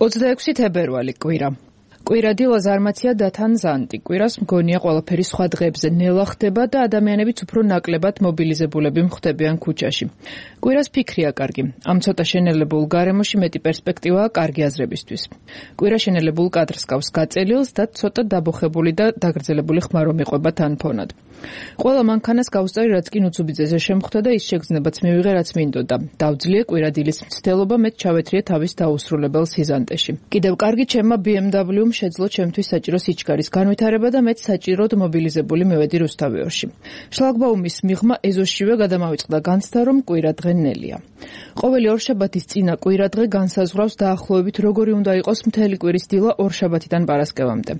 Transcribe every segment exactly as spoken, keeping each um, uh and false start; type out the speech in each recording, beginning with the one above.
ოცდაექვსი თებერვალი კვირა. კვირა დილა ზარმაცია დათან ზანტი. კვირას მგონია ყველაფერი სხვა დღეებზე ნელა ხდება და ადამიანებიც უფრო ნაკლებად მობილიზებულები მხდებიან ქუჩაში. კვირას ფიქრია კარგი. ამ ცოტა შენელებულ გარემოში მეტი პერსპექტივაა კარგი აზრებისთვის. კვირა შენელებულ კადრს გავს გაწელილს და ცოტა დაბოხებული და დაგრძელებული ხმა რომ იყვება თან ფონად. ყველა მანქანას გავსწარი რაც კი ნუცუბიძეზე შემხვდა და ის შეგრძნებაც მივიღე რაც მინდოდა. დავძლიე კვირა დილის მცდელობა მეც ჩავეთრიე თავის დაუსრულებელ სიზანტეში. კიდევ კარგი ჩემმა ბი ემ დაბლიუ-მ შეძლო ჩემთვის საჭირო სიჩქარის განვითარება და მეც საჭიროდ მობილიზებული მივედი რუსთავიორში. შლაგბაუმის მიღმა ეზოშივე გადამავიწყდა განცდა რომ კვირა დღე ნელია. ყოველი ორშაბათის წინა კვირა დღე განსაზღვრავს დაახლოებით როგორი უნდა იყოს მთელი კვირის დილა ორშაბათიდან პარასკევამდე.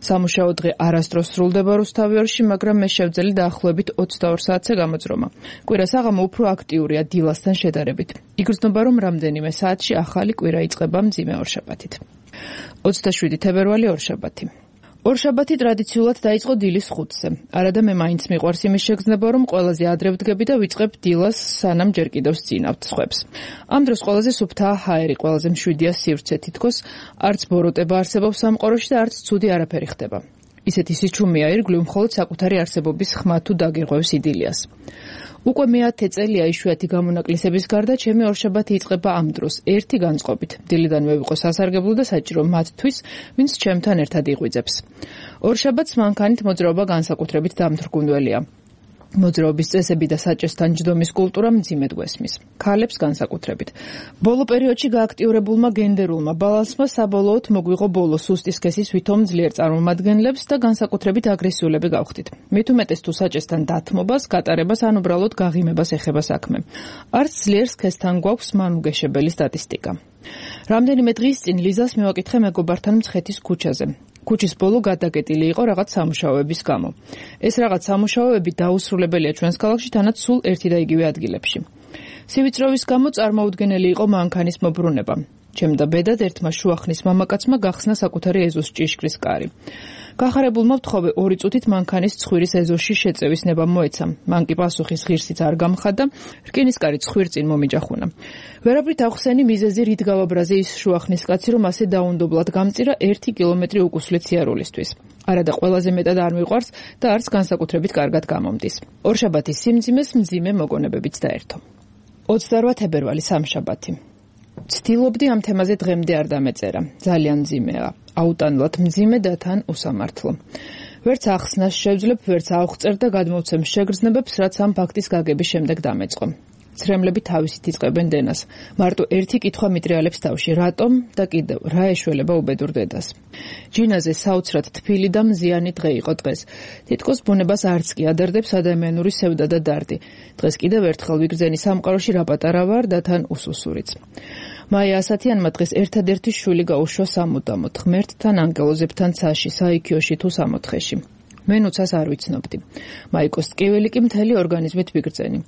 სამუშაო დღე არასდროს სრულდება რუსთავიორში, მაგრამ მე შევძელი დაახლოებით ოცდაორ საათზე გამოძრომა. კვირას აღამო უფრო აქტიურია დილასთან შედარებით. იგრძნობა რომ რამდენიმე საათში ახალი კვირა იწყება მძიმე ორშაბათით. ოცდაშვიდი თებერვალი ორშაბათი. ორშაბათი ტრადიციულად დაიწყო დილის ხუთზე. არადა მე მაინც მიყვარს იმის შეგრძნება რომ ყველაზე ადრე ვდგები და ვიწყებ დილას სანამ ჯერ კიდევ სწინავთ სხვებს. ამ დროს ყველაზე სუფთაა ჰაერი, ყველაზე მშვიდია სივრცე, თითქოს არც ბოროტება არსებობს სამყაროში და არც ცუდი არაფერი ხდება. ისეთი სიჩუმეა ირგვლივ მხოლოდ საკუთარი არსებობის ხმა თუ დაგირღვევს იდილიას. უკვე მეათე წელია იშვიათი გამონაკლისების გარდა ჩემი ორშაბათი იწყება ამ დროს, ერთი განწყობით. დილიდანვე ვიყო სასარგებლო და საჭირო მათთვის, ვინც ჩემთან ერთად იღვიძებს. ორშაბათს მანქანით მოძრაობა განსაკუთრებით დამთრგუნველია. მოძრაობის წესები და საჭესთან ჯდომის კულტურა მძიმედ გვესმის. ქალებს განსაკუთრებით. ბოლო პერიოდში გააქტიურებულმა გენდერულმა ბალანსმა საბოლოოდ მოგვიღო ბოლო სუსტი სქესის ვითომ ძლიერ წარმომადგენლებს და განსაკუთრებით აგრესიულები გავხდით. მით უმეტეს თუ საჭესთან დათმობას, გატარებას ან უბრალოდ გაღიმებას ეხება საქმე. არც ძლიერ სქესთან გვაქვს მანუგეშებელი სტატისტიკა. რამდენიმე დღის წინ ლიზას მივაკითხე მეგობართან მცხეთის ქუჩაზე. ქუჩის ბოლო გადაგეტილი იყო რაღაც სამუშაოების გამო. ეს რაღაც სამუშაოები დაუსრულებელია ჩვენს ქალაქში, თანაც სულ ერთი და იგივე ადგილებში. სივიწროვის გამო წარმოუდგენელი იყო მანქანის მობრუნება. ჩემ და ბედად ერთმა შუახნის მამაკაცმა გახსნა საკუთარი ეზოს ჭიშკრის კარი. გახარებულმა ვთხოვე ორი წუთით მანქანის ცხვირის ეზოში შეწევის ნება მოეცა. მან კი პასუხის ღირსიც არ გამხადა, რკინის კარი ცხვირ წინ მომიჯახუნა. ვერაფრით ახსენი მიზეზი რით გავაბრაზე ის შუახნის კაცი, რომ ასე დაუნდობლად გამწირა ერთი კილომეტრი უკუსლით სიარულისთვის. არადა ყველაზე მეტად არ მიყვარს და არც განსაკუთრებით კარგად გამომდის. ორშაბათის სიმძიმეს მძიმე მოგონებებიც დაერთო. ოცდარვა თებერვალი სამშაბათი. ცდილობდი ამ თემაზე დღემდე არ დამეწერა. ძალიან მძიმეა. აუტანლად მძიმე და თან უსამართლო. ვერც ახსნას შევძლებ, ვერც ავხწერ და გადმოვცემ შეგრძნებებს, რაც ამ ფაქტის გაგების შემდეგ დამეწყო. ცრემლები თავისით იწყებენ დენას. მარტო ერთი კითხვა მიტრიალებს თავში, რატომ და კიდევ რა ეშველება უბედურ დედას. ჯინაზე საოცრად თბილი და მზიანი დღე იყო დღეს. თითქოს ბუნებას არც კი ადარდებს ადამიანური სევდა და დარდი. დღეს კიდევ ერთხელ ვიგრძენი სამყაროში რა პატარა ვარ და თან უსუსურიც. მაია ასათიანმა დღეს ერთადერთი შვილი გაუშვა სამუდამოდ, ღმერთთან, ანგელოზებთან ცაში, საიქიოში თუ სამოთხეში. მე ნუცას არ ვიცნობდი. მაიკოს ტკივილი კი მთელი ორგანიზმით ვიგრძენი.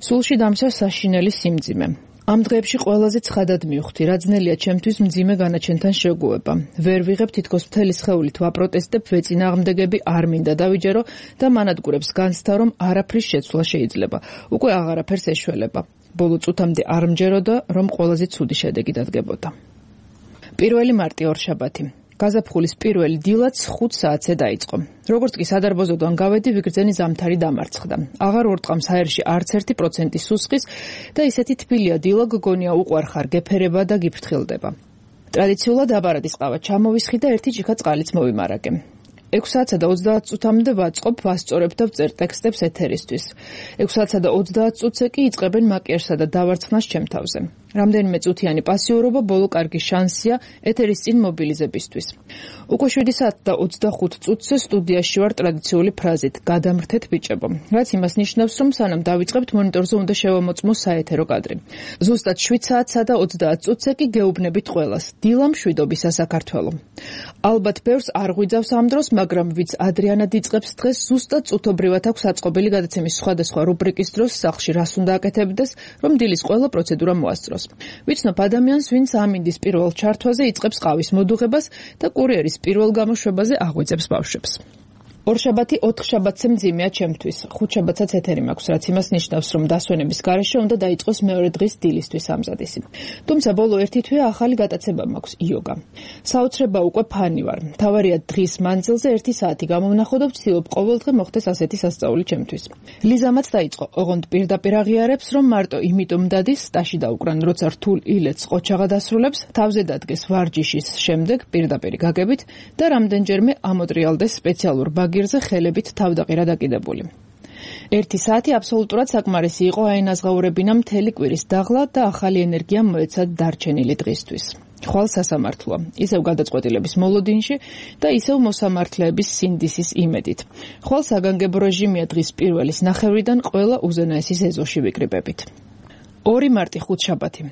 სულში დამცავს საშინელი სიმძიმე. ამ დღეებში ყველაზე ცხადად მივხვდი, რა ძნელია ჩემთვის მძიმე განაჩენთან შეგუება. ვერ ვიღებ თითქოს მთელი სხეულით ვაპროტესტებ, ვეწინააღმდეგები არ მინდა დავიჯერო და მანადგურებს განცდა, რომ არაფრის შეცვლა შეიძლება. უკვე აღარაფერს ეშველება. ბოლო წუთამდე არ მჯეროდა, რომ ყველაზე ცუდი შედეგი დადგებოდა. პირველი მარტი ორშაბათი. გაზაფხულის პირველი დილაც ხუთ საათზე დაიწყო. როგორც კი სადარბაზოდან გავედი, ვიგრძენი ზამთარი დამარცხდა. აღარ ვორტყამს აერში არც ერთი პროცენტი სუსხის და ისეთი თბილია დილა გგონია უყვარხარ გეფერება და გიფრთხილდება. ტრადიციულად აბარადის ყავა ჩამოვისხი და ერთი ჭიქა წყალიც მოვიმარაგე. ექვს საათსა და ოცდაათ წუთამდე ვაწყობ, ვასწორებ და ვწერ ტექსტებს ეთერისთვის. ექვს საათსა და ოცდაათ წუთზე კი იწყებენ მაკიაჟსა და დავარცხნას ჩემ თავზე. რამდენიმე წუთიანი პასიურობა ბოლო კარგი შანსია ეთერის წინ მობილიზებისთვის. უკვე შვიდი საათი და ოცდახუთ წუთზე სტუდიაში ვარ ტრადიციული ფრაზით გადამრთეთ ბიჭებო, რაც იმას ნიშნავს, რომ სანამ დავიწყებთ მონიტორზე უნდა შევამოწმოს საეთერო კადრი. ზუსტად შვიდ საათსა და ოცდაათ წუთზე კი გეუბნებით ყველას. დილა მშვიდობისა საქართველო. ალბათ ბევრს არ ღვიძავს ამ დროს, მაგრამ ვიც ადრიანად იწყებს დღეს, ზუსტად წუთობრივად აქვს აწყობილი გადაცემის სხვადასხვა რუბრიკის დროს სახლში რას უნდა აკეთებდეს, რომ დილის ყველა პროცედურა მოასწროს. ვიცნობ ადამიანს, ვინც ამინდის პირველ ჩართვაზე იწყებს ყავის მოდუღებას და კურიერის პირველ გამოშვებაზე აღვიძებს ბავშვებს. ორშაბათი ოთხშაბათზე მძიმეა ჩემთვის. ხუთშაბათსაც ეთერი მაქვს, რაც იმას ნიშნავს, რომ დასვენების გარეშე უნდა დაიწყოს მეორე დღის დილისთვის ამზადისი. თუმცა ბოლო ერთი თვეა ახალი გატაცება მაქვს იოგა. საოცრება უკვე ფანი ვარ. მთავარია დღის მანძილზე ერთი საათი გამოვნახო და ვცდილობ ყოველდღე მოხდეს ასეთი სასწაული ჩემთვის. ლიზამაც დაიწყო, ოღონდ პირდაპირ აღიარებს, რომ მარტო იმიტომ დადის სტაში დაუკრან, როცა რთულ ილეთს ყოჩაღა დასრულებს, თავზე დადგეს ვარჯიშის შემდეგ პირდაპირ გაგებით და რამდენჯერმე ამოტრიალდეს სპეციალურ ბაგირზე ხელებით თავდაყირა დაკიდებული. ერთი საათი აბსოლუტურად საკმარისი იყო აინაზღაურებინა მთელი კვირის დაღლა და ახალი ენერგია მოეცა დარჩენილი დღისთვის. ხვალ სასამართლოა, ისევ გადაწყვეტილების მოლოდინში და ისევ მოსამართლეების სინდისის იმედით. ხვალ საგანგებო რეჟიმია დღის პირველის ნახევრიდან ყველა უზენაესის ეზოში ვიკრიბებით. ორი მარტი ხუთშაბათი.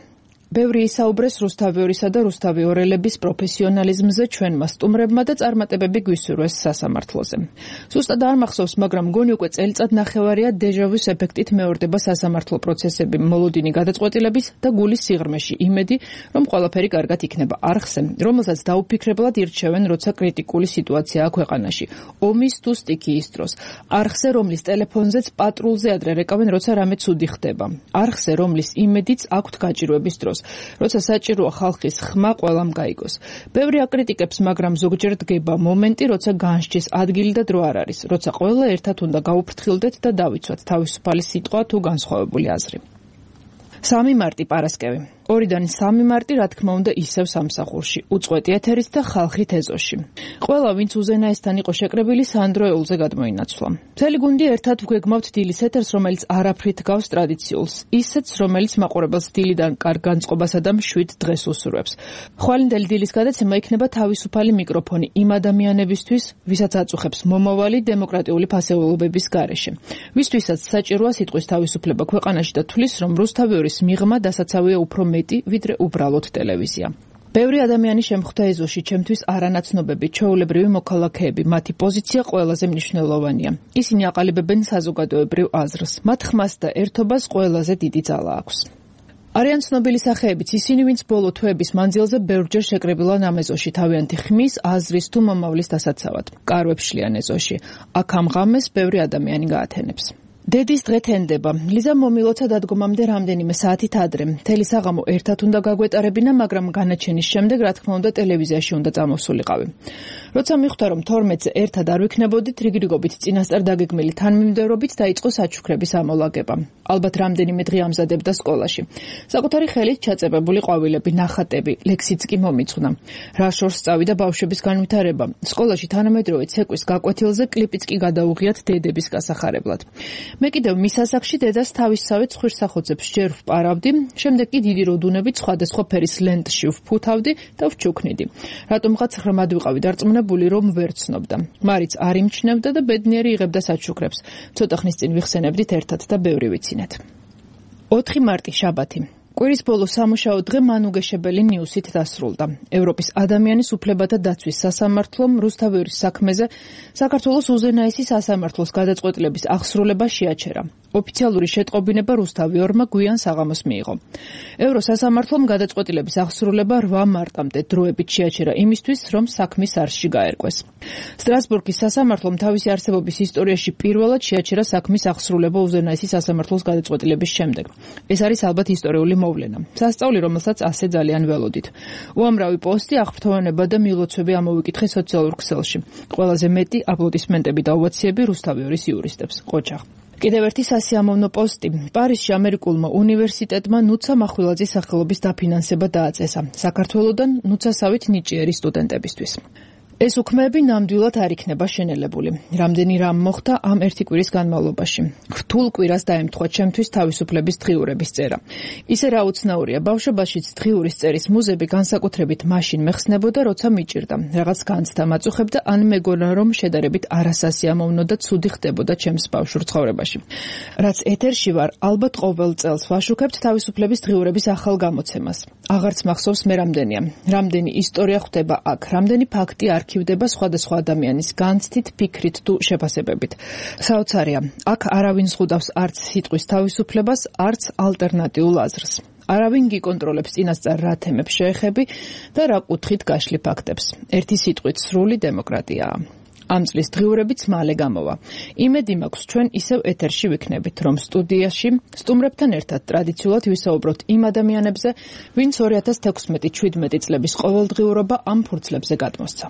ბევრი ისაუბრეს რუსთავიორისა და რუსთავიორელების პროფესიონალიზმზე ჩვენმა სტუმრებმა და წარმატებები გვისურვეს სასამართლოზე. ზუსტად არ მახსოვს, მაგრამ მგონი უკვე წელიწად ნახევარია დეჟავის ეფექტით მეორდება სასამართლო პროცესები მოლოდინი გადაწყვეტილების და გულის სიღრმეში იმედი, რომ ყველაფერი კარგად იქნება არხზე, რომელსაც დაუფიქრებლად ირჩევენ, როცა კრიტიკული სიტუაციაა ქვეყანაში. ომის თუ სტიქიის დროს. არხზე, რომლის ტელეფონზეც პატრულზე ადრე რეკავენ, როცა რამე ცუდი ხდება. არხზე, რომლის იმედიც აქვთ გაჭირვების დროს. როცა საჭიროა ხალხის ხმა ყველამ გაიგოს. ბევრი აკრიტიკებს, მაგრამ ზოგჯერ დგება მომენტი, როცა განსჯის ადგილი და დრო არ არის, როცა ყველა ერთად უნდა გაუფრთხილდეთ და დავიცვათ თავისუფალი სიტყვა თუ განსხვავებული აზრი. სამი მარტი პარასკევი. ორიდან სამი მარტი, რა თქმა უნდა, ისევ სამსახურში, უწყვეტი ეთერით და ხალხით ეზოში. ყველა, ვინც უზენაესთან იყო შეკრებილი, სანდროეულზე გადმოინაცვლა. მთელი გუნდი ერთად ვგეგმავთ დილის ეთერს, რომელიც არაფრით გავს ტრადიციულს, ისეთს, რომელიც მაყურებელს დილიდან კარგ განწყობასა და მშვიდ დღეს უსურვებს. ხვალინდელი დილის გადაცემა იქნება თავისუფალი მიკროფონი იმ ადამიანებისთვის, ვისაც აწუხებს მომავალი დემოკრატიული ფასეულობების გარეშე. ვისთვისაც საჭიროა სიტყვის თავისუფლება ქვეყანაში და თვლის, რომ რუსთავიორის მიღმა დასაცავია უფრო მეტი, ვიდრე უბრალოდ ტელევიზია. ბევრი ადამიანი შემხვდა ეზოში, ჩემთვის არანაცნობები, ჩვეულებრივი მოქალაქეები, მათი პოზიცია ყველაზე მნიშვნელოვანია. ისინი აყალიბებენ საზოგადოებრივ აზრს, მათ ხმას და ერთობას ყველაზე დიდი ძალა აქვს. არიან ცნობილი სახეებიც ისინი, ვინც ბოლო თვეების მანძილზე ბევრჯერ შეკრებილან ამ ეზოში თავიანთი ხმის, აზრის თუ მომავლის დასაცავად. კარვებს შლიან ეზოში. აქ ამ ღამეს ბევრი ადამიანი გაათენებს. დედის დღე თენდება. ლიზა მომილოცა დადგომამდე რამდენიმე საათით ადრე. მთელი საღამო ერთად უნდა გაგვეტარებინა, მაგრამ განაჩენის შემდეგ, რა თქმა უნდა, ტელევიზიაში უნდა წამოსულიყავი. როცა მიხვდა, რომ თორმეტზე ერთად არ ვიქნებოდით, რიგრიგობით წინასწარ დაგეგმილი თანმიმდევრობით დაიწყო საჩუქრების ამოლაგება. ალბათ რამდენიმე დღე ამზადებდა სკოლაში. საკუთარი ხელით ჩაწებებული ყვავილები, ნახატები, ლექსიც კი მომიწყნა. რა შორს წავიდა ბავშვების განვითარება. სკოლაში თანამედროვე ცეკვის გაკვეთილზე კლიპიც კი გადაუღიათ დედების გასახარებლად. მე კიდევ მის ასაკში დედას თავისსავე ცხვირსახოძებს ჯერ ვპარავდი, შემდეგ კი დიდი როდუნებით სხვადასხვა ფერის ლენტში ვფუთავდი და ვჩუქნიდი. რატომღაც ღრმად ვიყავი დარწმუნებული, რომ ვერ ცნობდა. მარიც არ იმჩნევდა და ბედნიერი იღებდა საჩუქრებს. ცოტა ხნის წინ ვიხსენებდით ერთად და ბევრი ვიცინეთ. ოთხი მარტი შაბათი. კვირის ბოლო სამუშაო დღე მანუგეშებელი ნიუსით დასრულდა. ევროპის ადამიანის უფლებათა დაცვის სასამართლომ რუსთავიორის საქმეზე საქართველოს უზენაესი სასამართლოს გადაწყვეტილების აღსრულება შეაჩერა. ოფიციალური შეტყობინება რუსთავიორმა გვიან საღამოს მიიღო. ევროსასამართლომ გადაწყვეტილების აღსრულება რვა მარტამდე დროებით შეაჩერა იმისთვის, რომ საქმის არსში გაერკვეს. სტრასბურგის სასამართლომ თავისი არსებობის ისტორიაში პირველად შეაჩერა საქმის აღსრულება უზენაესი სასამართლოს გადაწყვეტილების შემდეგ. ეს არის ალბათ ისტორიული მოვლენა. სასწაული, რომელსაც ასე ძალიან ველოდით. უამრავი პოსტი, აღფრთოვანება და მილოცვები ამოვიკითხე სოციალურ ქსელში. ყველაზე მეტი აპლოდისმენტები და ოვაციები რუსთავიორის იურისტებს. ყოჩაღ. კიდევ ერთი სასიამოვნო პოსტი. პარიზში ამერიკულმა უნივერსიტეტმა ნუცა მახვილაძის სახელობის დაფინანსება დააწესა. საქართველოდან ნუცასავით ნიჭიერი სტუდენტებისთვის. ეს უქმეები ნამდვილად არ იქნება შენელებული. რამდენი რამ მოხდა ამ ერთი კვირის განმავლობაში. რთულ კვირას დაემთხვა ჩემთვის თავისუფლების დღიურების წერა. ისე რა უცნაურია, ბავშვობაშიც დღიურის წერის მუზები განსაკუთრებით მაშინ მეხსნებოდა, როცა მიჭირდა. რაღაც განცდა მაწუხებდა, ან მეგონა რომ შედარებით არასასიამოვნო და ცუდი ხდებოდა ჩემს ბავშვურ ცხოვრებაში. რაც ეთერში ვარ, ალბათ ყოველ წელს ვაშუქებთ თავისუფლების დღიურების ახალ გამოცემას. აღარც მახსოვს მე რამდენია. რამდენი ისტორია ხვდება აქ, რამდენი ფაქტი არ არქივდება სხვადასხვა ადამიანის განცდით, ფიქრით თუ შეფასებებით. საოცარია, აქ არავინ ზღუდავს არც სიტყვის თავისუფლებას, არც ალტერნატიულ აზრს. არავინ გიკონტროლებს წინასწარ რა თემებს შეეხები და რა კუთხით გაშლი ფაქტებს. ერთი სიტყვით სრული დემოკრატიაა. ამ წლის დღიურებიც მალე გამოვა. იმედი მაქვს ჩვენ ისევ ეთერში ვიქნებით, რომ სტუდიაში სტუმრებთან ერთად ტრადიციულად ვისაუბროთ იმ ადამიანებზე, ვინც ორი ათას თექვსმეტი შვიდმეტი წლების ყოველდღიურობა ამ ფურცლებზე გადმოსცა.